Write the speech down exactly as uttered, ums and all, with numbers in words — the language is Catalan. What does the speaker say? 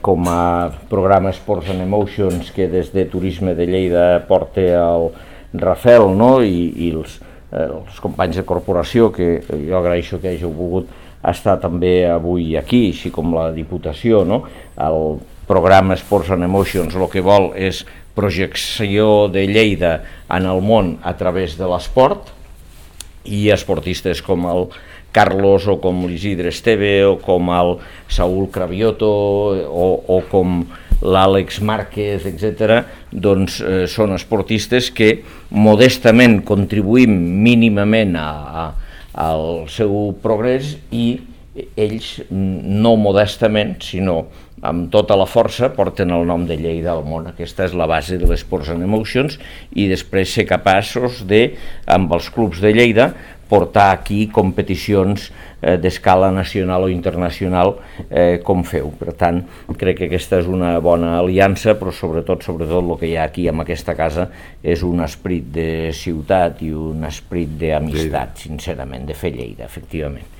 com a programa Sports and Emotions, que des de Turisme de Lleida porta el Rafael, no? I, i els, eh, els companys de corporació, que jo agraeixo que hàgiu volgut estar també avui aquí, així com la Diputació, no? El programa Sports and Emotions el que vol és projecció de Lleida en el món a través de l'esport, i esportistes com el Carlos o com l'Isidre Esteve o com el Saúl Cravioto o, o com l'Àlex Márquez, etcètera, doncs eh, són esportistes que modestament contribuïm mínimament a, a, al seu progrés, i ells no modestament, sinó amb tota la força, porten el nom de Lleida al món. Aquesta és la base de l'Sports and Emotions, i després ser capaços de, amb els clubs de Lleida, portar aquí competicions eh, d'escala nacional o internacional eh, com feu. Per tant, crec que aquesta és una bona aliança, però sobretot, sobretot el que hi ha aquí en aquesta casa és un esperit de ciutat i un esperit d'amistat, sincerament, de fer Lleida, efectivament.